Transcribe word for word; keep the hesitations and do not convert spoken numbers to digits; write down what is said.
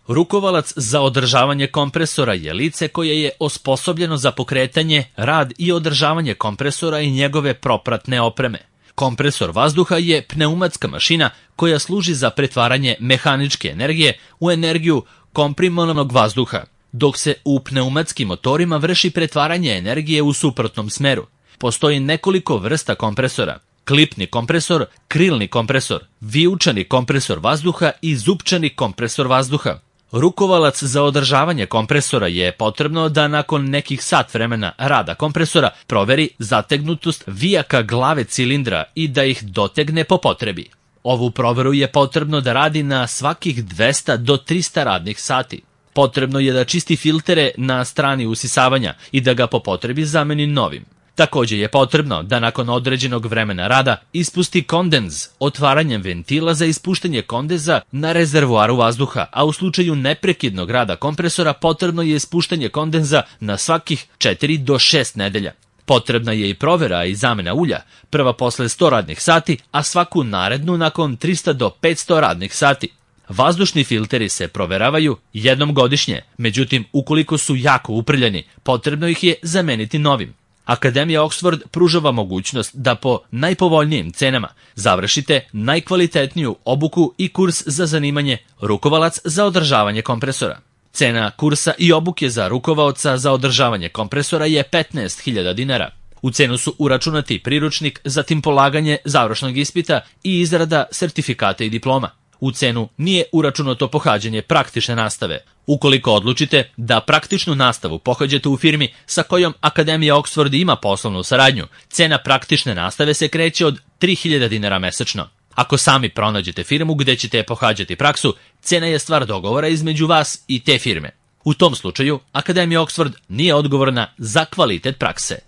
Rukovalac za održavanje kompresora je lice koje je osposobljeno za pokretanje, rad i održavanje kompresora i njegove propratne opreme. Kompresor vazduha je pneumatska mašina koja služi za pretvaranje mehaničke energije u energiju komprimovanog vazduha, dok se u pneumatskim motorima vrši pretvaranje energije u suprotnom smeru. Postoji nekoliko vrsta kompresora: klipni kompresor, krilni kompresor, vijučani kompresor vazduha i zupčani kompresor vazduha. Rukovalac za održavanje kompresora je potrebno da nakon nekih sat vremena rada kompresora proveri zategnutost vijaka glave cilindra i da ih dotegne po potrebi. Ovu proveru je potrebno da radi na svakih dvesta do trista radnih sati. Potrebno je da čisti filtere na strani usisavanja i da ga po potrebi zameni novim. Također je potrebno da nakon određenog vremena rada ispusti kondens otvaranjem ventila za ispuštanje kondeza na rezervoaru vazduha, a u slučaju neprekidnog rada kompresora potrebno je ispuštanje kondenza na svakih četiri do šest nedelja. Potrebna je i provera i zamena ulja, prva posle sto radnih sati, a svaku narednu nakon trista do petsto radnih sati. Vazdušni filteri se proveravaju jednom godišnje, međutim ukoliko su jako uprljani, potrebno ih je zameniti novim. Akademija Oxford pružava mogućnost da po najpovoljnijim cenama završite najkvalitetniju obuku i kurs za zanimanje rukovalac za održavanje kompresora. Cena kursa i obuke za rukovaoca za održavanje kompresora je petnaest hiljada dinara. U cenu su uračunati priručnik, zatim polaganje završnog ispita i izrada sertifikata i diploma. U cenu nije uračunato pohađanje praktične nastave. Ukoliko odlučite da praktičnu nastavu pohađate u firmi sa kojom Akademija Oxford ima poslovnu saradnju, cena praktične nastave se kreće od tri hiljade dinara mesečno. Ako sami pronađete firmu gde ćete pohađati praksu, cena je stvar dogovora između vas i te firme. U tom slučaju, Akademija Oxford nije odgovorna za kvalitet prakse.